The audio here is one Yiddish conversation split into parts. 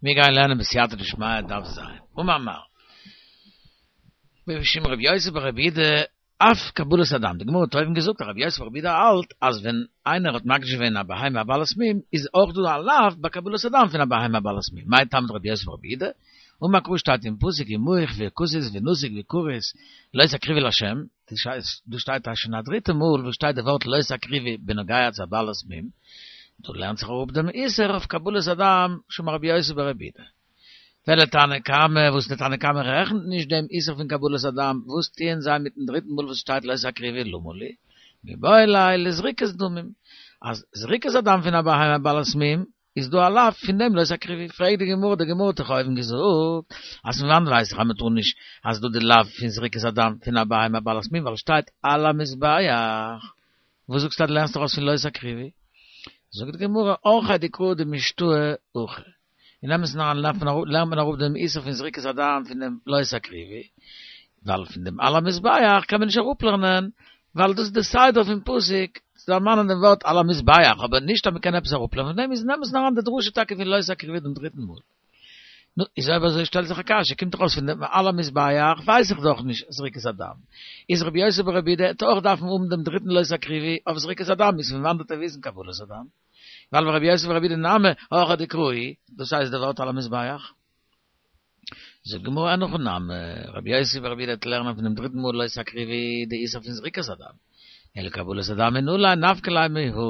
מיר גייען לערנען בסייעתא דשמיא דף ז. אמר מר. משום רבי יוסי ברבי יהודה אף קבלת הדם, די גמרא האט אויבן געזאגט אז רבי יוסי ברבי יהודה האלט אז ווען איינער האט מקדיש געווען א בהמה א בעלת מום איז אויך דא א לאו ביי קבלת הדם פון א בהמה א בעלת מום, מאי טעמא דרבי יוסי ברבי יהודה? אמר קרא שטייט אין פסוק ומוך וכתית ונתיק וכרית לא תקריבו לה', דא שטייט שוין א דריטע מאל וואס שטייט די ווארט לא תקריבו בנוגע צו א בעלת מום, דא לערנט זיך אראפ דעם איסור אויף קבלת הדם משום רבי יוסי ברבי יהודה. ולתנא קמא, וואס די תנא קמא רעכנט נישט דעם איסור פון קבלת הדם, וואס טוען זיי מיטן דריטן מאל וואס שטייט לא תקריבו למה לי? מיבעי ליה לזריקת דמים, אז זריקת הדם פון א בהמה בעלת מום איז דא א לאו פון דעם לא תקריבו, פרעגט די גמרא, די גמרא האט דאך אויבן געזאגט אז פון וואנט ווייס איך אז מען טאר נישט אז דא די לאו פון זריקת הדם פון א בהמה בעלת מום ווייל עס שטייט על המזבח, וואס זאגסטו אז דו לערנסט ארויס פון לא תקריבו? זאגט די גמרא, אורחיה דקרא דמשתעי הכי, אין אמת'ן אריין לערנט מען אראפ דעם איסור פון זריקת הדם פון דעם לא תקריבו, ווייל פון דעם על המזבח קען מען נישט אראפלערנען, ווייל דאס איז די סדר פון פסוק צו דערמאנען דעם ווארט על המזבח, אבער נישט אז מען קען עפעס אראפלערנען פון דעם, איז אין אמת'ן אריין די דרשה טאקע פון לא תקריבו דעם דריטן מאל. נו, איז אויב אזוי שטעלט זיך א קשיא, קומט דאך אויס פון דעם על המזבח ווייס איך דאך נישט זריקת הדם, איז רבי יוסי ברבי יהודה העט אויך דארפן האבן דעם דריטן לא תקריבו אויף זריקת הדם, איז פון וואנעט וועט ער וויסן קבלת הדם? ווייל ורבי יוסי ברבי יהודה נמי הכי דקרא, דאס הייסט די ווארט על המזבח. זאגט די גמרא אין הכי נמי, רבי יוסי ברבי יהודה העט לערנען פון דעם דריטן מאל לא תקריבו די איסור פון זריקת הדם, אלא קבלת הדם מנא ליה נפקא ליה מהא,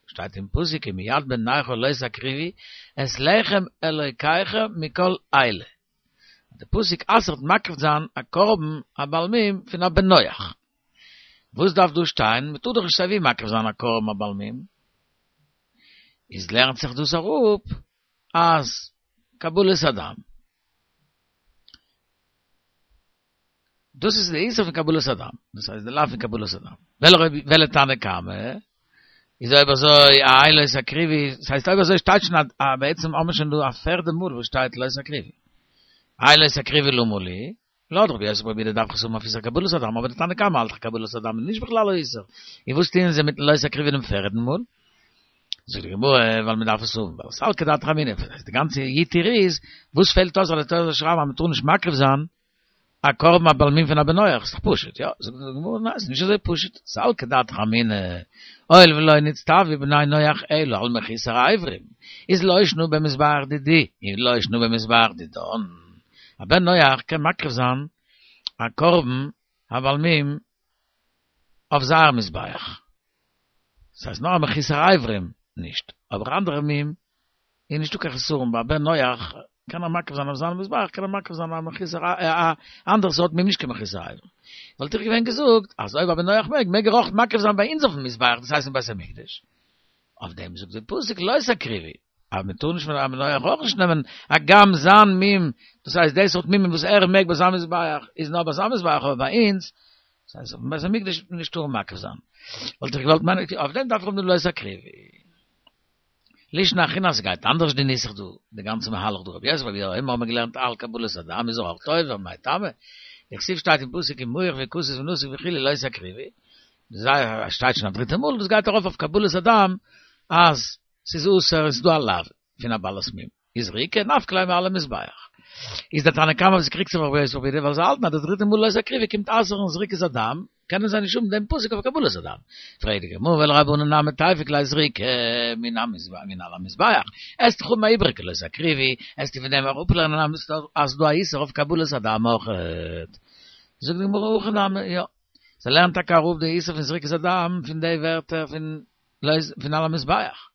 שטייט אין פסוק ומיד בן נכר לא תקריבו את לחם אלוקיכם מכל אלה, די פסוק אסר'ט מקריב זיין א קרבן א בעל מום פון א בן נח. וואס דארף דא שטיין? מ'טאר דאך נישט סייווי מקריב זיין א קרבן א בעל מום. איז לערנט זיך דאס אראפ אז קבלת הדם. דאס איז די איסור פון קבלת הדם. דאס הייסט די לאו פון קבלת הדם. ולתנא קמא, איז אויב אזוי איי לא תקריבו, דאס הייסט אויב אזוי שטייט שוין א בעצם האבן מיר שוין דא א פערדע מאל וואס שטייט לא תקריבו. איי לא תקריבו למה לי? לויט רבי יוסי ברבי יהודה דארף איך עס האבן אויף איסור קבלת הדם, אבער די תנא קמא האלט דאך קבלת הדם איז נישט בכלל א איסור. און וואס טוען זיי מיטן לא תקריבו דעם פערדן מאל? זאגט די גמרא, ווייל מען דארף עס האבן, ווייל סלקא דעתך אמינא, די גאנצע יתיר איז, וואס פעלט אויס אז די תורה זאל שרייבן אז מען טאר נישט מקריב זיין א קרבן א בעל מום פון א בן נח, ס'דאך פשוט, יא? זאגט די גמרא, ניין, ס'איז נישט אזוי פשוט, סלקא דעתך אמינא, הואיל ולא נצטוו בני נח אלא על מחוסר אברים, איז לא שנא במזבח דידי, און לא שנא במזבח דידן. א בן נח קען מקריב זיין א קרבן א בעל מום אויף זייער מזבח. ס'הייסט נאר א מחוסר אברים נישט, אבער אנדערע מום איז נישטא קיין חסרון, ביי א בן נח קען ער מקריב זיין אויף זיין מזבח, קען ער מקריב זיין א מחוסר א אנדערע סארט מום נישט קיין מחוסר אברים. וואלט איך געווען געזאגט אז אויב א בן נח מעג, מעג ער אויך מקריב זיין ביי אונז אויפן מזבח, דאס הייסט אין בית המקדש. אויף דעם זאגט דער פסוק לא תקריבו, אז מען טאר נישט פון א בן נח אויך נישט נעמען, הגם זיין מום, דאס הייסט די סארט מומים וואס ער מעג ביי זיין מזבח איז נאר ביי זיין מזבח אבער ביי אונז, דאס הייסט אויפן בית המקדש וועט מען נישט טארן מקריב זיין. וואלט איך געוואלט מיינען, אויף דעם דארף איך האבן די לא תקריבו. לישנא אחרינא אז ס'גייט אנדערש די נוסח דא, די גאנצע מהלך דא, רבי יוסי ברבי יהודה אומר האט מען געלערנט על קבלת הדם איז אויך עובר, מאי טעמא? דכתיב שטייט אין פסוק ומוך וכתית ונתיק וכו' לא תקריבו, זיי שטייט שוין א דריטע מאל דאס גייט ארויף אויף קבלת הדם אז ס'איז אסור און ס'איז דא א לאו פון א בעלת מום איז זריקה נפקא ליה מעל המזבח איז דער תנא קמא וואס קריגט זיך אויף רבי יוסי ברבי יהודה ווייל זיי האלטן אז די דריטע מאל לא תקריבו קומט אסר'ן זריקת הדם קענען זיי נישט האבן דעם פסוק אויף קבלת הדם פרעגט די גמרא ולרבנן נמי תיפוק ליה זריקה מן מן על המזבח וועסט דאך האבן א איבריגע לא תקריבו וועסטו פון דעם אראפלערנען אז ס'דא א איסור אויף קבלת הדם אויכעט זאגט די גמרא הכי נמי יא זיי לערנען טאקע אראפ די איסור פון זריקת הדם פון די ווערטער פון פון על המזבח.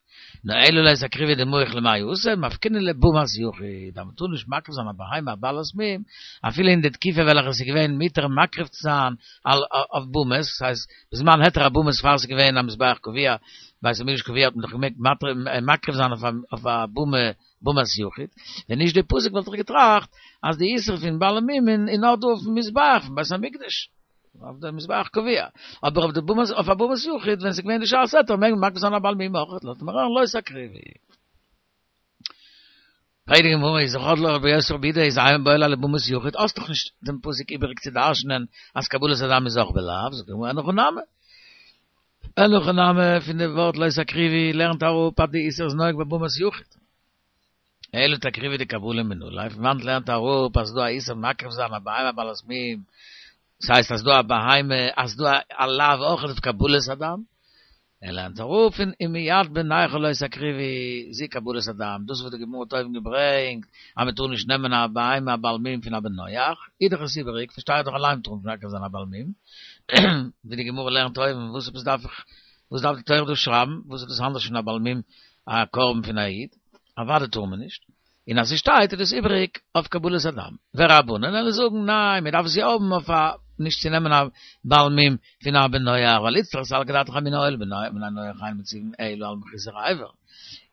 נאר אלא לא תקריבו דמוך למאי אתא, מפקינן לבמת יחיד, אז מ'טאר נישט מקריב זיין א בהמה א בעלת מום, אפילו אין די תקופה וועלכע עס איז געווען מותר מקריב צו זיין אויף במות, דאס הייסט בזמן היתר הבמות פאר עס איז געווען א מזבח קבוע, בית המקדש קבוע האט מען דאך געמעגט מקריב זיין אויף א במה במת יחיד, ווען נישט די פסוק וואלט איך געטראכט אז די איסור פון בעלי מומין איז נאר דא אויפן מזבח פון בית המקדש, אויף די מזבח קבוע, אבער אויף די במת אויף א במת יחיד ווען ס'איז געווען די שעת היתר מעג מען מקריב זיין א בעל מום אויך, לאזט מען אריין לא תקריבו. פרעגט די גמרא איז דאך לרבי יוסי ברבי יהודה איז מיבעי ליה לבמת יחיד, האסט דאך נישט דעם פסוק איבעריג צו דרש'נען אז קבלת הדם איז אויך בלאו, זאגט די גמרא אין הכי נמי. אין הכי נמי פון די ווארט לא תקריבו לערנט אראפ אז די איסור איז נוהג בבמת יחיד. אלא תקריבי דקבולה מנא ליה, פון וואנעט לערנט ער אפ אז ס'דא א איסור מקריב זיין א בהמה בעלת מום, ס'הייסט אז דא א בהמה, אז דא א לאו אויך אויף קבלת הדם? ער לערנט אראפ פון ומיד בן נכר לא תקריבו זו קבלת הדם, דאס וואס די גמרא האט אויבן געברענגט אז מ'טאר נישט נעמען א בהמה א בעל מום פון א בן נח, איז דאך עס איבעריג, פארשטיי איך דאך אליין מ'טאר נישט מקריב זיין א בעל מום, ווי די גמרא לערנט אויבן, וואס עפעס דארף איך, וואס דארף די תורה דא שרייבן, וואס איז דאס אנדערש פון א בעל מום א קרבן פון א איד, אוודאי טאר מען נישט. און אז ס'שטייט איז דאס איבעריג אויף קבלת הדם. ורבנן וועלן זאגן ניין מען דארף עס יא האבן אויף א נישט צו נעמען א בעל מום פון א בן נח ווייל איצטריך סלקא דעתך אמינא הואיל ובני נח אין מצווין אלא על מחוסר אבר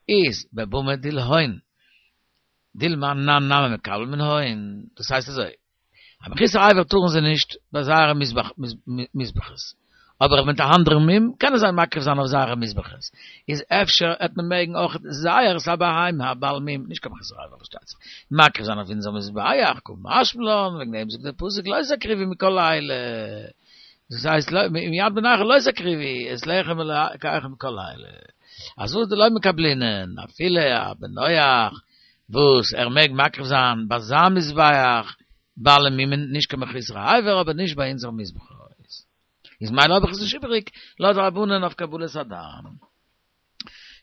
איז בבמה דלהון דילמא אנן נמי מקבל מן הון דאס הייסט אזוי א מחוסר אבר טארן זיי נישט ביי זייערע מזבחות, אבער מיט א אנדערן מום קענען זיי מקריב זיין אויף זייערע מזבחות, איז אפשר העט מען מעגן אויך זייערס א בהמה א בעל מום, נישט קיין מחוסר אבר פארשטייט זיך, מקריב זיין אויף אונזער מזבח, קא משמע לן, וועגן דעם זאגט דער פסוק לא תקריבו מכל אלה, דאס הייסט ומיד בן נכר לא תקריבו את לחם אלקיכם מכל אלה, אז וואס דלא מקבלינן אפילו א בן נח וואס ער מעג מקריב זיין ביי זיין מזבח בעלי מומין נישט קיין מחוסרי אבר אבער נישט ביי אונזער מזבחות איז ממילא האב איך עס נישט איבעריג לויט רבנן אויף קבלת הדם.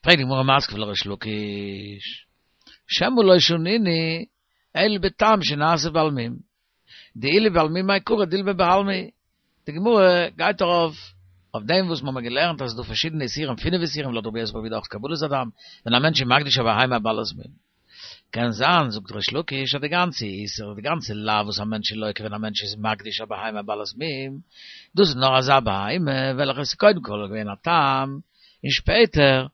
פרעגט די גמרא מתקיף לה ריש לקיש שמא לא שנינו אלא בתם שנעשה בעל מום דאילו בעל מום מעיקרא דילמא בעלמא די גמרא גייט ארויף אויף דעם וואס מ'האמיר געלערנט אז ס'איז דא פארשידענע איסורים, פינף איסורים לויט רבי יוסי ברבי יהודה אויך קבלת הדם, ווען א מענטש איז מקדיש א בהמה בעלת מום. קען זיין, זאגט ריש לקיש, אז די גאנצע איסור, די גאנצע לאו וואס א מענטש איז לוקה ווען א מענטש איז מקדיש א בהמה בעלת מום, דאס איז נאר אזא בהמה וועלכע איז קודם כל געווען א תם, און שפעטער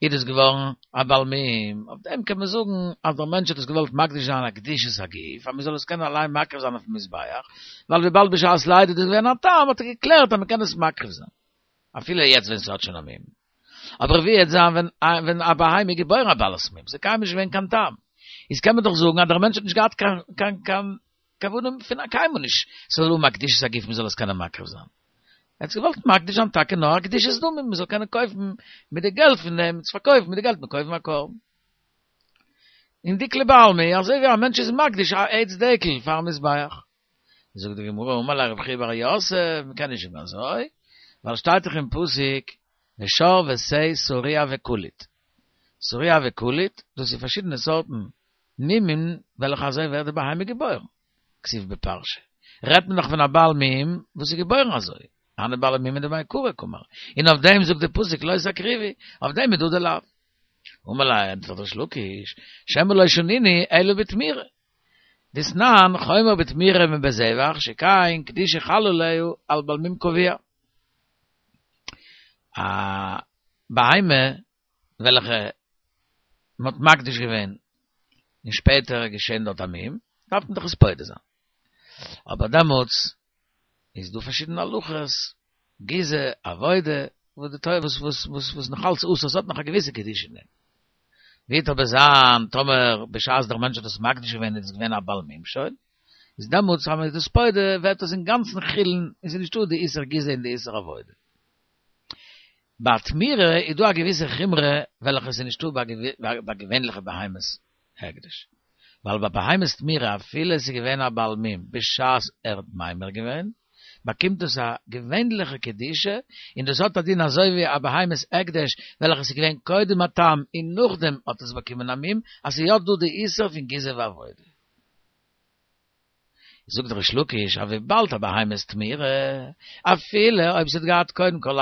איז דאס געווארן א בעל מום, אויף דעם קען מען זאגן אז דער מענטש האט עס געוואלט מקדיש זיין א קדושת הגוף אז מען זאל עס קענען אליין מקריב זיין אויפן מזבח, ווייל וויבאלד בשעת לידה איז דאס געווען א תם האט ער געקלערט אז מען קען עס מקריב זיין אפילו יעצט ווען ס'האט שוין א מום. אבער ווי וועט זיין ווען ווען א בהמה איז געבוירן א בעלת מום, ס'איז קיינמאל נישט געווען קיין תם, איז קען מען דאך זאגן אז דער מענטש האט נישט געהאט קיין קיין קיין כוונה פון א קיינמאל נישט ס'זאל האבן א קדושת הגוף מען זאל עס קענען מקריב זיין. ער האט עס געוואלט מקדיש זיין טאקע נאר א קדושת דמים מען זאל קענען קויפן מיט די געלט פון דעם עס פארקויפן מיט די געלט מען קויפן א קרבן. און דקלי בעלמא אזוי ווי א מענטש איז מקדיש א עץ דקל פארן מזבח. זאגט די גמרא אמר ליה רב חייא בר יוסף מען קען נישט זאגן אזוי ווייל שטייט דאך אין פסוק ושור ושה שרוע וקלוט. שרוע וקלוט דאס איז פארשידענע סארטן מומים וועלכע אזוי ווערט די בהמה געבוירן, כתיב בפרשה, רעדט מען דאך פון א בעל מום וואס איז געבוירן אזוי, הני בעלי מומין דמעיקרא קאמר, און אויף דעם זאגט די פסוק לא תקריבו, אויף דעם איז דא די לאו. אמר ליה, ענטפערט ריש לקיש, שמא לא שנינו אלא בתמירה. דתנן, חומר בתמירה מבזבח, שכן קדושה חלה עליה על בעל מום קבוע. א בהמה וועלכע מען האט מקדיש געווען און שפעטער איז געשען דארט א מום, דארף מען דאך עס פודה זיין. אבער דעמאלטס איז דא פארשידענע הלכות, גיזה, עבודה, וואס די תורה וואס וואס וואס וואס נאך אלץ אסור, עס האט נאך א געוויסע קדושה אין דעם. ווי וועט אבער זיין טאמער בשעת דער מענטש האט עס מקדיש געווען איז עס געווען א בעל מום שוין, איז דעמאלטס אז מען איז דאס פודה ווערט עס אינגאנצן חולין און ס'איז נישטא די איסור גיזה און די איסור עבודה. ביי תמירה איז דא א געוויסע חומרא וועלכע איז נישטא ביי געווענליכע בהמות הקדש, ווייל ביי בהמות תמירה אפילו עס איז געווען א בעל מום בשעת ער האט ממיר געווען, באקומט עס א געווענליכע קדושה, און דאס האט א דין אזוי ווי א בהמת הקדש וועלכע איז געווען קודם א תם און נאכדעם האט עס באקומען א מום, אז ס'איז יא דא די איסור פון גיזה ועבודה. זאגט ריש לקיש אז וויבאלד א בהמת תמירה, אפילו אויב ס'האט געהאט קודם כל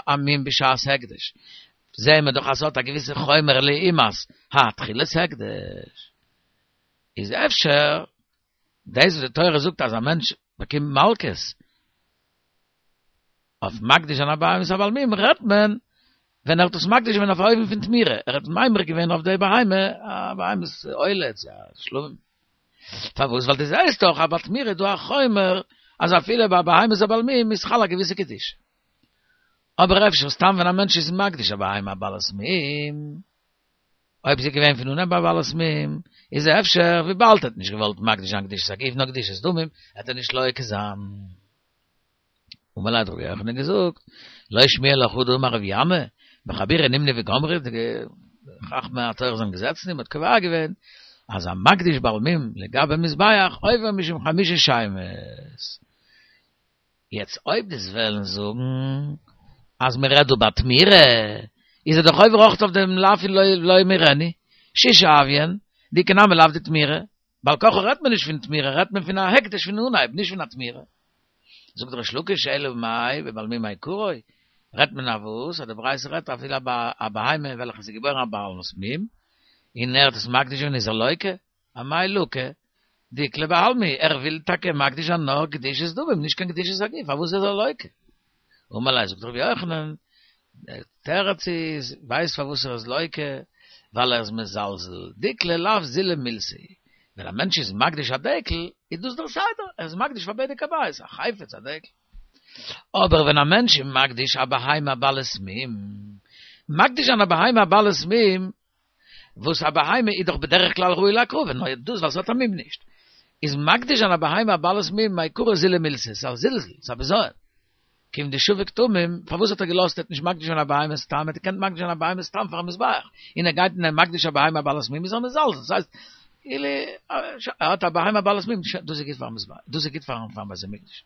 א מום בשעת הקדש, זעהן מיר דאך אז ס'האט א געוויסע חומר לעומת התחילת הקדש, איז אפשר דאס וואס די תורה זאגט אז א מענטש באקומט מלקות אויף מקדיש זיין א בהמת א בעל מום רעדט מען ווען ער האט עס מקדיש געווען אויף א אופן פון תמירה, ער האט ממיר געווען אויף די בהמה א בהמת עולה צו א שלמים. פארוואס? ווייל דו זעסט דאך אז ביי תמירה איז דא א חומר אז אפילו ביי בהמת א בעל מום איז חל א געוויסע קדושה. אבער אפשר סתם ווען א מענטש איז מקדיש א בהמה א בעלת מום, אויב ס'איז געווען פון אנהייב א בעלת מום, איז אפשר וויבאלד ער האט נישט געוואלט מקדיש זיין קדושת הגוף נאר קדושת דמים, וועט ער נישט לוקה זיין. אמר ליה האט רבי יוחנן געזאגט, לא שמיע לך הא דאמר רבי אמי, בחבורה נמנו וגמרו, די. חכמי התורה זענען געזעצן און מ'האט קובע געווען אז המקדיש בעל מום לגבי מזבח עובר משום חמשה שמות. יעצט אויב דו'סט וועלן זאגן אז מען רעדט דא ביי תמורה, איז ער דאך עובר אויך אויף דעם לאו פון לא ימורנו, ששה הוויין, דאיכא נמי לאו דתמורה, בעל כרחו רעדט מען נישט פון תמורה, רעדט מען פון א הקדש פון אנהייב, נישט פון א תמורה. זאגט ריש לקיש אלא מאי בבעל מום מעיקרא, רעדט מען אויף וואס אז די ברייתא רעדט אפילו א בהמה וועלכע איז געבוירן א בעלת מום, און ער האט עס מקדיש געווען איז ער לוקה, אמאי לוקה? דאיקלע בעלמא, ער וויל טאקע מקדיש זיין נאר קדושת דמים, נישט קיין קדושת הגוף, פארוואס איז ער לוקה? אמר ליה, זאגט רבי יוחנן, דער תירוץ איז, ווייסט פארוואס ער איז לוקה? ווייל ער איז מזלזל, דיקלא לאו זילא מילתא היא, ווען א מענטש איז מקדיש א דקל, איז דאס דער סדר, ער איז מקדיש פאר בדק הבית, א חפץ, א דקל. אבער ווען א מענטש איז מקדיש א בהמה בעלת מום, מקדיש זיין א בהמה בעלת מום, וואס א בהמה איז דאך בדרך כלל ראוי להקרבה, נאר דאס ווייל ס'האט א מום נישט. איז מקדיש זיין א בהמה א בעלת מום מעיקרא זילא מילתא, ס'איז א זלזול, ס'איז א בזיון. כיון דשביק תמים, פארוואס האט ער געלאזט ער האט נישט מקדיש געווען א בהמה סתם, ער האט געקענט מקדיש זיין א בהמה סתם פארן מזבח, און ער גייט און ער מקדיש א בהמה א בעלת מום איז ער מזלזל, דאס הייסט, כאילו ער האט א בהמה בעלת מום, דאס איז גוט פארן מזבח, דאס איז גוט פארן בית המקדש.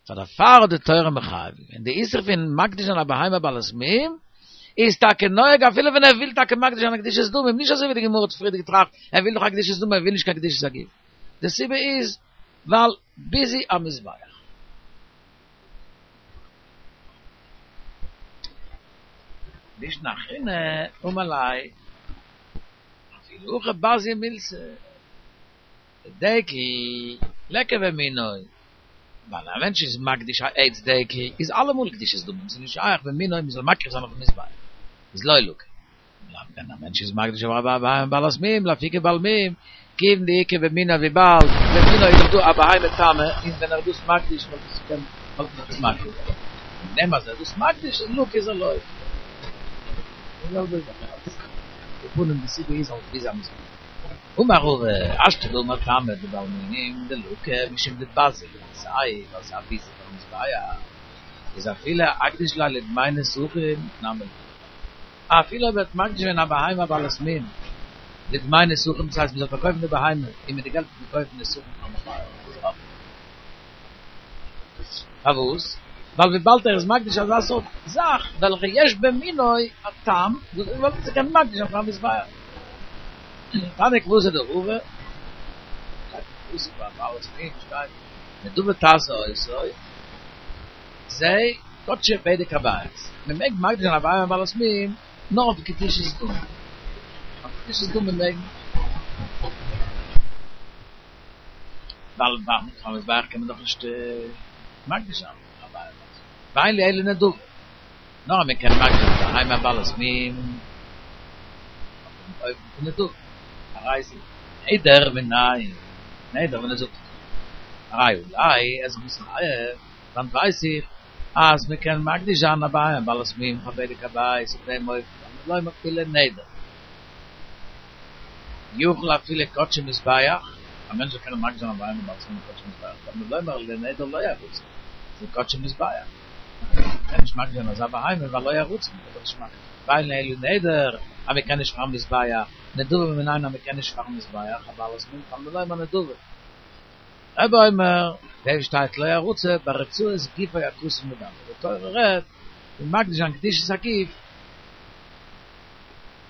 פאר דערפאר האט די תורה מחייב געווען די איסור פון מקדיש זיין א בהמה בעלת מום, איז טאקע נוהג אפילו ווען ער וויל טאקע מקדיש זיין א קדושת דמים, נישט אזוי ווי די גמרא האט פריער געטראכט, ער וויל דאך א קדושת דמים ער וויל נישט קיין קדושת הגוף, די סיבה איז ווייל ביזוי המזבח. לישנא אחרינא אמר ליה אפילו הכי בזיא מילתא דקל ליכא במינו ווייל א מענטש איז מקדיש א עץ דקל איז אלעמאל קדושת דמים ס'איז נישט שייך במינו מ'זאל מקריב זיין אויפן מזבח איז לא לקי ווען א מענטש איז מקדיש א בהמה בעלת מום לאפוקי בעל מום כיון דאיכא במינו וויבאלד במינו איז דאך דא א בהמה תמה און ווען ער איז דאס מקדיש וואלט עס געקענט וואלט מען דאס מקריב געווען און דעם אז ער איז דאס מקדיש איז לקי איז ער לוקה. די זעלבע זאך אלס די פנים די סיבה איז אלס ביזוי המזבח. אמר רבא, השתא דאמר טעמא דבעל מום דלקה משום דבזי למילתיה ווייל ס'איז א ביזוי פארן מזבח איז אפילו אקדיש ליה לדמי נסכים נמי לא. אפילו אויב ער האט מקדיש געווען א בהמה בעלת מום לדמי נסכים דאס הייסט מ'זאל פארקויפן די בהמה און מיט די געלט וועט מען קויפן נסכים פארן מזבח איז אויך פארוואס? ווייל וויבאלד ער איז מקדיש אזא סארט זאך וועלכע יש במינו א טעם וואס וואלט זיך געקענט מקדיש זיין פארן מזבח. תניא כוותיה דרבא, שטייט אין פסוק ביי בעלת מום שטייט נדבה תעשה אותו, זה קדשי בדק הבית, מען מעג מקדיש זיין א בהמה בעלת מום נאר אויף קדושת דמים, אויף קדושת דמים מעג מען. ווייל פארן מזבח קען מען דאך נישט מקדיש זיין א בהמה, ואין לי אלא נדבה, נאר אז מען קען מקדיש זיין א בהמה בעלת מום אויפן אופן פון נדבה, הרי זה נדר מנין, נדר ווען ער זאגט הרי עלי איז מתחייב, וואנעט ווייס איך אז מען קען מקדיש זיין א בהמה בעלת מום פאר בדק הבית אויף דעם אופן, תלמוד לומר לנדר. יכול אפילו קדשי מזבח, א מענטש זאל קענען מקדיש זיין א בהמה בעלת מום קדשי מזבח, תלמוד לומר לנדר לא ירוצה, זה קדשי מזבח. מ'קען נישט מקדיש זיין אזא בהמה ווייל לא ירוצה, מ'קען דאך נישט מקדיש. ואין לי אלא נדר, אז מ'קען נישט פארן מזבח, נדבה מנין אז מ'קען נישט פארן מזבח, א בעלת מום תלמוד לומר נדבה. רבי אומר, דעם שטייט לא ירוצה, ברצועת גופו הכתוב מדבר, די תורה רעדט פון מקדיש זיין קדושת הגוף,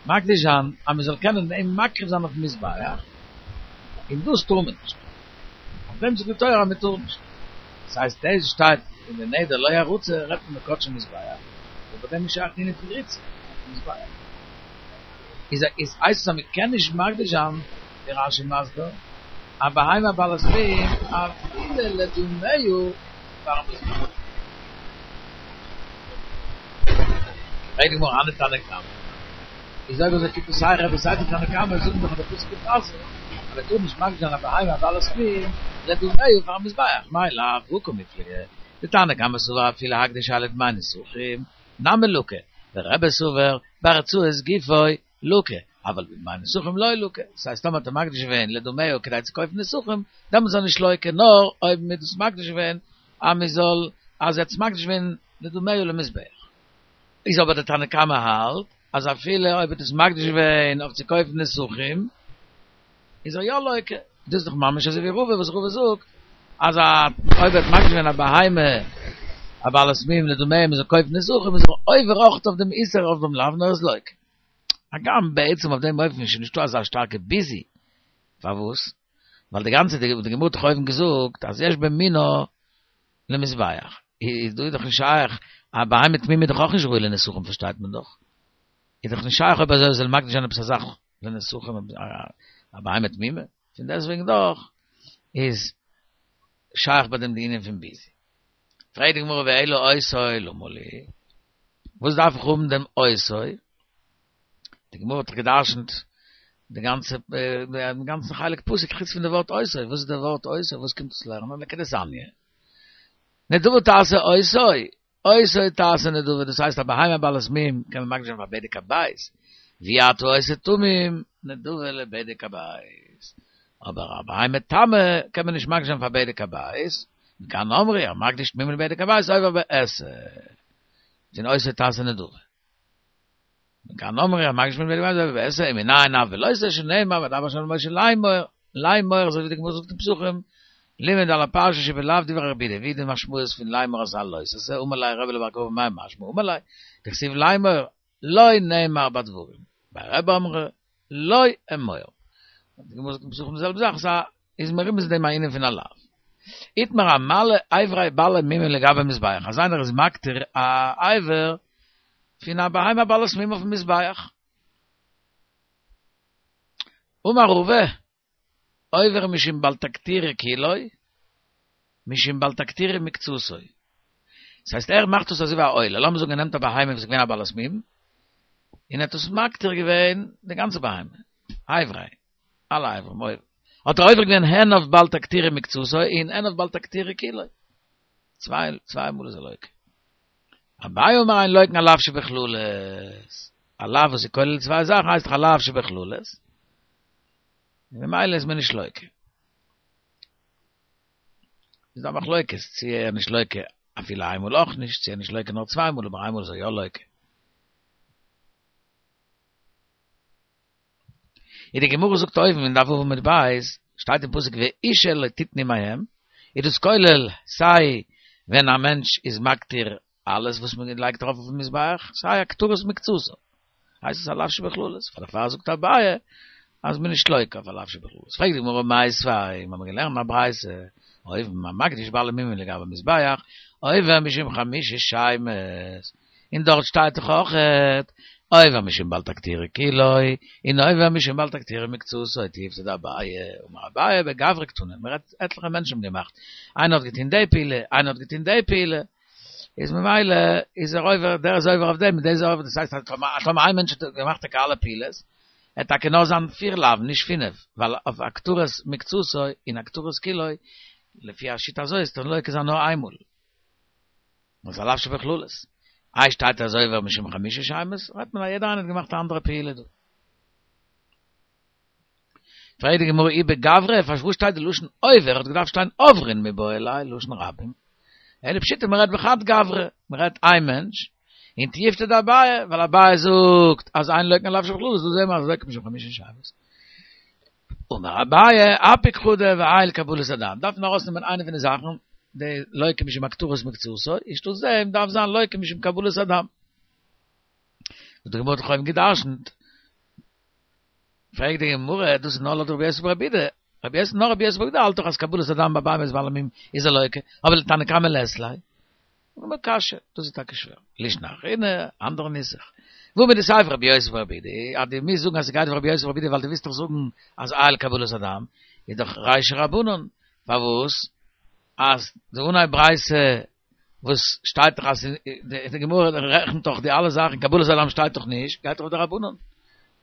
מקדיש זיין אז מען זאל קענען אים מקריב זיין אויפן מזבח, און דאס טאר מען נישט, אויף דעם זאגט די תורה אז מען טאר נישט, דאס הייסט דאס שטייט אין די נדר לא ירצה רעדט מען בקדשי מזבח, אבער ביי דעם איז שייך די ענין פון ריצה אויפן מזבח, איז איז הייסט עס אז מען קען נישט מקדיש זיין, ווי רש"י מסביר, א בהמה בעלת מום אפילו לדמיה פארן מזבח. פרעגט די גמרא הני תנא קמא, איז אויב אזוי קומט עס סיי רבי סיי די תנא קמא זאגן דאך אז די פסוק איז אסור, אז מען טאר נישט מקדיש זיין א בהמה בעלת מום לדמיה פארן מזבח, מאי לאו הא קמיפלגי, דתנא קמא סבר אפילו הקדש לדמי נסכים נמי לקי, ורבי סבר ברצועת גופו לקי, אבל בדמי נסכים לא לקי, דאס הייסט טאמער האט ער מקדיש געווען לדמיה כדי צו קויפן נסכים, דעמאלטס איז ער נישט לוקה, נאר אויב מען האט דאס מקדיש געווען אז מען זאל, אז ער האט עס מקדיש געווען לדמיה למזבח. איז אבער דער תנא קמא האלט. אז אפילו אויב האט עס מקדיש געווען אויף צו קויפן נסכים, איז ער יא לוקה. דאס איז דאך ממש אזוי ווי רבא וואס רבא זאגט אז א אויב ער האט מקדיש געווען א בהמה א בעלת מום לדמיהם מ'זאל קויפן נסכים איז ער עובר אויך אויף דעם איסור אויף דעם לאו נאר ער איז לוקה. הגם בעצם אויף דעם אופן איז שוין נישטא אזא שטארקע ביזוי. פארוואס? ווייל די גאנצע די גמרא האט דאך אויבן געזאגט אז יש במינו למזבח. איז דא איז דאך נישט שייך, א בהמה תמימה איז דאך אויך נישט ראוי לנסכים פארשטייט מען דאך. איז דאך נישט שייך אויב אזוי זאל מקדיש זיין עפעס א זאך לנסכים א בהמה תמימה. פון דעסטוועגן דאך איז שייך ביי דעם די ענין פון ביזוי. פרעגט די גמרא ואלא אותו למה לי, וואס דארף איך האבן דעם אותו? די גמרא האט דאך גע'דרש'נט די גאנצע דעם גאנצן חלק פסוק חוץ פון די ווארט אותו, וואס איז די ווארט אותו, וואס קומט עס לערנען? לכדתניא, נדבה תעשה אותו, אותו תעשה נדבה, דאס הייסט א בהמה בעלת מום קען מען מקדיש זיין פאר בדק הבית, ואי אתה עושה תמים נדבה לבדק הבית, אבער א בהמה תמה קען מען נישט מקדיש זיין פאר בדק הבית, מכאן אמרו המקדיש תמימים לבדק הבית עובר בעשה, פון אותו תעשה נדבה. מכאן אמרו המקדיש תמימים לבדק הבית עובר בעשה, ומנין אף בלא תעשה שנאמר וידבר ה' אל משה לאמור, לאמור אזוי ווי די גמרא זאגט אין פסחים, לימד על הפרשה שבלאו דברי רבי יהודה, ווי די משמעות פון לאמור אז א לא תעשה, אמר ליה רבי לבר כוכבא מאי משמע אמר ליה, דכתיב לאמור, לא נאמר בדברים, בי רבי אמרי, לא אמור. די גמרא זאגט אין פסחים די זעלבע זאך, סא איז מרומז אין דעם א ענין פון א לאו. איתמר המעלה אברי בעלי מומין לגבי מזבח, אז איינער איז מקטיר א אבר פון א בהמה בעלת מום אויפן מזבח. אמר רבא, עובר משום בל תקטירו כולו, משום בל תקטירו מקצתו. דאס הייסט ער מאכט עס אזוי ווי א עולה, לאמיר זאגן ער נעמט א בהמה וואס איז געווען א בעלת מום, און ער האט עס מקטיר געווען די גאנצע בהמה, אברי, אלע אברים, אויב האט ער עובר געווען הן אויף בל תקטירו מקצתו און הן אויף בל תקטירו כולו. צוויי מאל איז ער לוקה. אביי אמר אין לוקין על לאו שבכללות. א לאו וואס איז כולל צוויי זאכן הייסט דאך א לאו שבכללות. און ממילא איז מען נישט לוקה. איז דא א מחלוקת צו ער איז נישט לוקה אפילו איינמאל אויך נישט, צו ער איז נישט לוקה נאר צוויי מאל אבער איינמאל איז ער יא לוקה. און די גמרא זאגט אויבן אין דף ו' עמוד ב', שטייט אין פסוק ואשה לא תתנו מהם, איז דאס כולל סיי ווען א מענטש איז מקטיר אלעס וואס מען לייגט ארויף אויפן מזבח, סיי הקטרת מקצתו, הייסט עס א לאו שבכללות, פאר דערפאר זאגט אביי אז מען איז נישט לוקה אויף א לאו שבכללות. פרעגט די גמרא מיתיבי, מיר האבן געלערנט א ברייתא, אויבן המקדיש בעלי מומין לגבי מזבח, עובר משום חמשה שמות, און דארט שטייט דאך אויכעט, עובר משום בל תקטירו כולו, און עובר משום בל תקטירו מקצתו, תיובתא דאביי, אמר אביי בגברא קתני, מען רעדט עטליכע מענטשן האבן געמאכט, איינער האט געטון די פעולה, איינער האט געטון די פעולה, איז ממילא איז ער עובר, דער איז עובר אויף דעם, און דער איז עובר, דאס הייסט אז טאמער איין מענטש האט געמאכט טאקע אלע פעולות, עט טאקע נאר זיין פיר לאווין, נישט פינף, ווייל אויף הקטרת מקצתו און הקטרת כולו, לפי השיטה הזאת איז דאך לוקה זיין נאר איינמאל. וואס א לאו שבכללות. איי שטייט אז עובר משום חמשה שמות, רעדט מען אז יעדער איינער האט געמאכט א אנדערע פעולה דא. פרעגט די גמרא אי בגברא, פארוואס שטייט די לשון עובר, האט געדארפט שטיין עוברין מיבעי ליה, לשון רבים. אלא פשיטא מען רעדט בחד גברא, מען רעדט איין מענטש, און תיובתא דאביי, ווייל אביי זאגט אז אין לוקין על לאו שבכללות, דא זעהן מיר אז לוקין משום חמשה שמות. אמר אביי, אפיק חדא ועייל קבלת הדם, דארף מען ארויסנעמען איינע פון די זאכן, די לוקה משום הקטרת מקצתו, אנשטאט דעם דארף זיין לוקה משום קבלת הדם. וואס די גמרא האט דאך אויבן גע'דרש'נט. פרעגט די גמרא, דאס איז נאר לויט רבי יוסי ברבי יהודה, רבי יוסי נאר רבי יוסי ברבי יהודה האלט דאך אז קבלת הדם ביי בהמות בעלי מום איז ער לוקה, אבער לתנא קמא לית ליה. גמרא קשיא, דאס איז טאקע שווער. לישנא אחרינא, אנדערע נוסח. והא מדסיפא רבי יוסי ברבי יהודה, אז דו מוזט זאגן אז ס'גייט ווי רבי יוסי ברבי יהודה ווייל דו ווילסט דאך זאגן אז עייל קבלת הדם, איז דאך רישא רבנן, פארוואס אז די אנהייב ברייתא וואס שטייט דאך אז די גמרא רעכנט דאך די אלע זאכן, קבלת הדם שטייט דאך נישט, גייט דאך אויף די רבנן.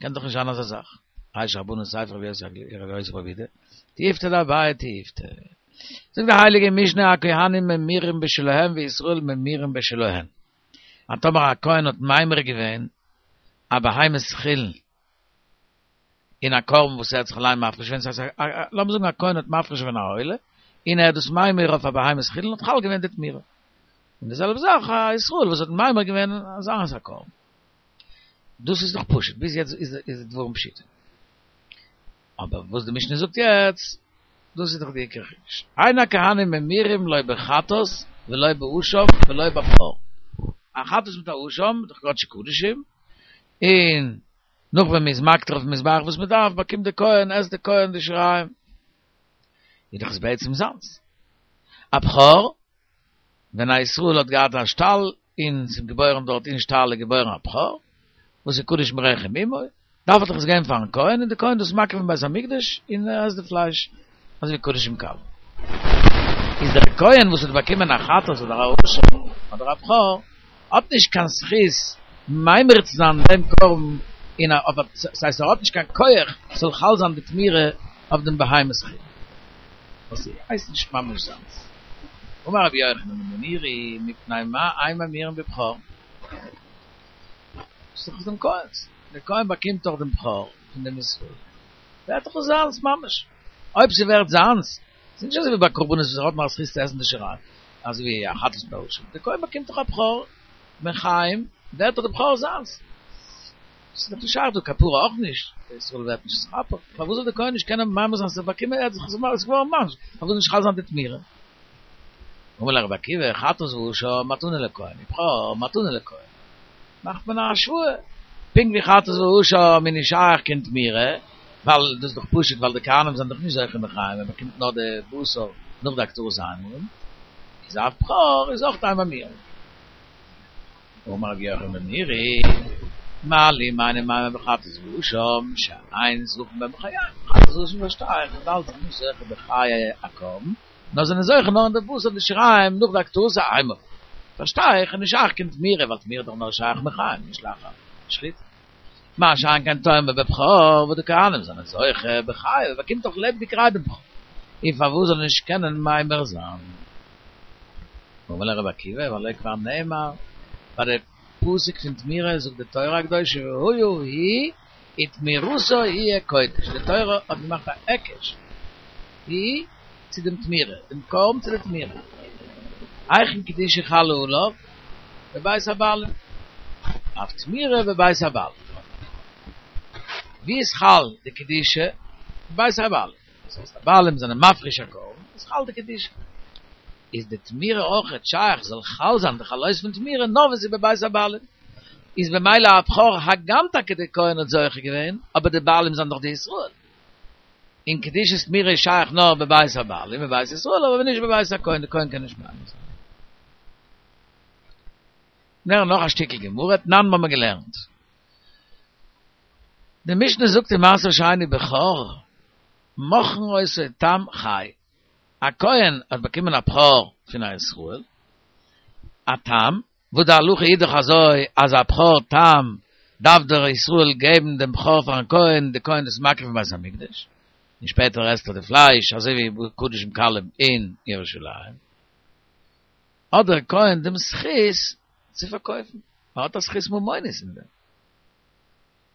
קען דאך נישט זיין אזא זאך. רישא רבנן סיפא רבי יוסי ברבי יהודה, תיובתא דאביי תיובתא. זאגט די הייליגע משנה הכהנים ממירים בשלהם וישראל ממירים בשלהן. אז טאמער א כהן האט ממיר געווען א בהמת חולין אין א קרבן וואס ער האט זיך אליין מפריש געווען, ס'הייסט לאמיר זאגן א כהן האט מפריש געווען א עולה, און ער האט דאס ממיר אויף א בהמת חולין האט חל געווען די תמורה. און די זעלבע זאך א ישראל וואס האט ממיר געווען זיינס א קרבן. דאס איז דאך פשוט, ביז יעצט איז איז דברים פשוטים. אבער וואס די משנה זאגט יעצט, דאס איז דאך די עיקר חידוש. אין הכהנים ממירים לא בחטאת ולא באשם ולא בבכור. א חטאת מיט א אשם איז דאך קדשי קדשים, און נאך ווען מ'איז מקטיר אויפן מזבח וואס מ'דארף, באקומט די כהן, עסט די כהן די שיריים. איז דאך עס בעצם זיינס. א בכור, ווען א ישראל האט געהאט א שטאל און ס'איז געבוירן דארט אין שטאל איז געבוירן א בכור, וואס איז קדוש מרחם אמו, דארף ער דאך עס געבן פארן כהן און די כהן דאס מקריב אין בית המקדש און ער עסט די פלייש אזוי ווי קדשים קלים. איז דער כהן וואס האט באקומען א חטאת אדער א אשם אדער א בכור האט נישט קיין זכות ממיר צו זיין דעם קרבן אין א אויף א ס'הייסט ער האט נישט קיין כח ס'זאל חל זיין די תמורה אויף דעם בהמת חולין וואס הייסט נישט ממש זיינס. אמר רבי יוחנן בן נורי מפני מה אין ממירין בבכור? ס'איז דאך דעם כהן'ס, דער כהן באקומט דאך דעם בכור פון דעם ישראל, ווערט דאך עס זיינס ממש, אויב ס'ווערט זיינס, ס'איז נישט אזוי ווי ביי קרבנות וואס ער האט נאר א זכות צו עסן די שיריים, אזוי ווי א חטאת מיט א אשם, דער כהן באקומט דאך א בכור בן חיים, ווערט דאך דער בכור זיינס. ס'איז דאך נישט שייך דא כפרה אויך נישט, דער ישראל ווערט נישט נתכפר, פארוואס זאל דער כהן נישט קענען ממיר זיין, ס'איז באקומען ער האט זיך עס איז געווארן ממש, פארוואס זאל נישט חל זיין די תמורה? אמר ליה רבי עקיבא, חטאת ואשם מתנה לכהן, ובכור מתנה לכהן, מאכט מען א השוואה, פונקט ווי חטאת ואשם איז נישט שייך קיין תמורה, ווייל דאס איז דאך פשוט ווייל די כהנים זענען דאך נישט זוכה מחיים, מען באקומט נאר די בשר נאך די הקטרת האימורים, איז אף בכור איז אויך אין ממירין. אמר רבי יוחנן בן נורי, מה לי מה אני ממיר בחטאת ואשם, שאין זוכים בהם בחייהם, חטאת ואשם פארשטיי איך, וויבאלד זיי זענען נישט זוכה בחיי הקרבן, נאר זענען זוכה נאר אין די בשר די שיריים נאך די הקטרת האימורים, פארשטיי איך, איז נישט שייך קיין תמורה, ווייל תמורה איז דאך נאר שייך מחיים, נישט לאחר שחיטה. מה שאין כן תאמר בבכור וואס די כהנים זענען זוכה בחייו, באקומט דאך לעבעדיגערהייט דעם בכור, און פארוואס זאל ער נישט קענען ממיר זיין? אמר ליה רבי עקיבא, והלא כבר נאמר, ביי די פסוק פון תמורה זאגט די תורה הקדושה והיה היא ותמורתה יהיה קודש, די תורה האט געמאכט א היקש היא צו דעם תמורה, דעם קרבן צו די תמורה, היכן קדושה חלה עליו? בבית הבעלים, אף תמורה בבית הבעלים, ווי איז חל די קדושה? בבית הבעלים. דאס הייסט די בעלים זענען מפריש א קרבן, איז חל די קדושה. איז די תמורה אויכעט שייך זאל חל זיין די חלות פון תמורה נאר ווען ס'איז בבית הבעלים. איז במילא א בכור הגם טאקע די כהן האט זוכה געווען, אבער די בעלים זענען דאך די ישראל. און קדושת תמורה איז שייך נאר בבית הבעלים, בבית ישראל, אבער נישט בבית הכהן, די כהן קען נישט ממיר זיין. נאר נאך א שטיקל גמרא, תנן האבן מיר געלערנט. די משנה זאגט אין מעשר שני בכור, מוכרין אותו תם חי, א כהן האט באקומען א בכור פון א ישראל, א תם, וואס די הלכה איז דאך אזוי אז א בכור תם דארף דער ישראל געבן דעם בכור פארן כהן, די כהן איז מקריב אין בית המקדש, און שפעטער עסט ער די פלייש אזוי ווי קדשים קלים אין ירושלים, האט דער כהן דעם זכות צו פארקויפן, ער האט א זכות ממונית אין דעם.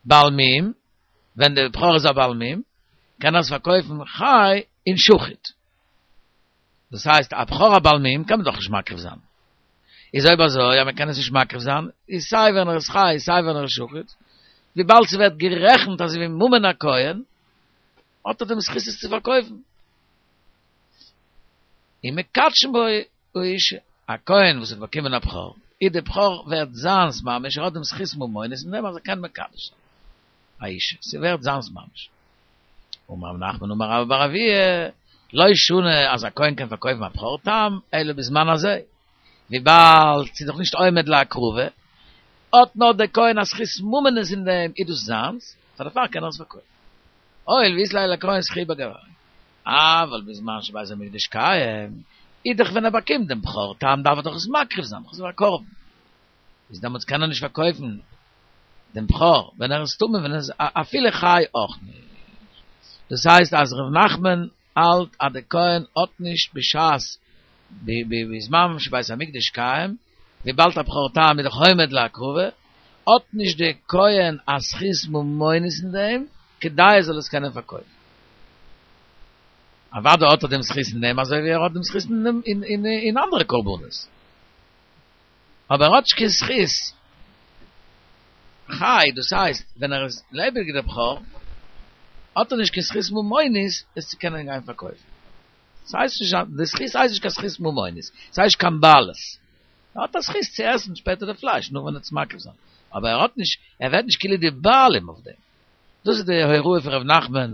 בעל מום, ווען דער בכור איז א בעל מום, קען ער עס פארקויפן חי און שחוט. דאס הייסט, א בכור א בעל מום קען מען דאך נישט מקריב זיין. איז אויב אזוי אז מען קען עס נישט מקריב זיין, איז סיי ווען ער איז חי סיי ווען ער איז שחוט, וויבאלד ס'ווערט גערעכנט אזוי ווי ממון הכהן, האט ער דעם זכות עס צו פארקויפן. ומקדשין בו האשה, א כהן וואס האט באקומען א בכור, איז די בכור ווערט זיינס ממש, ער האט דעם זכות ממונות אין דעם אז ער קען מקדש זיין א אישה, ס'ווערט זיינס ממש. אמר רב נחמן אמר רבה בר אבוה, לא שנו אז א כהן קען פארקויפן א בכור תם, אלא בזמן הזה, וויבאלד ס'איז דאך נישט עומד להקרבה, האט נאר דער כהן א זכות ממונות אין דעם, איז דאס זיינס, פאר דערפאר קען ער עס פארקויפן. הואיל ואית ליה לכהן זכי' בגויה. אבל בזמן שבית המקדש קיים, איז דאך ווען ער באקומט דעם בכור תם דארף ער דאך עס מקריב זיין, דאך איז א קרבן. איז דעמאלטס קען ער נישט פארקויפן דעם בכור ווען ער איז טמא ווען ער איז אפילו חי אויך נישט. דאס הייסט אז ר' נחמן האלט אז די כהן האט נישט בשעת בזמן שבית המקדש קיים, וויבאלד א בכור תם איז דאך עומד להקרבה, האט נישט די כהן א זכות ממונות אין דעם, כדי ער זאל עס קענען פארקויפן. אוודאי האט ער דעם זכות אין דעם אזוי ווי ער האט דעם זכות אין אין אנדערע קרבנות. אבער ער האט נישט קיין זכות. חי, דאס הייסט ווען ער איז לעבעדיג דער בכור, האט ער נישט קיין זכות ממונית עס צו קענען גיין פארקויפן. ס'הייסט נישט, די זכות הייסט נישט קיין זכות ממונית, ס'הייסט נישט קיין בעלות. ער האט א זכות צו עסן שפעטער די פלייש נאך ווען ער וועט עס מקריב זיין, אבער ער האט נישט, ער ווערט נישט כאילו די בעלים אויף דעם. דאס איז די הוראה פון ר' נחמן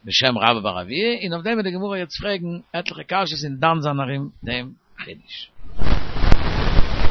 בשם רבה בר אבוה, און אויף דעם וועט די גמרא יעצט פרעגן עטליכע קשיות און דן זיין ארום דעם חידוש.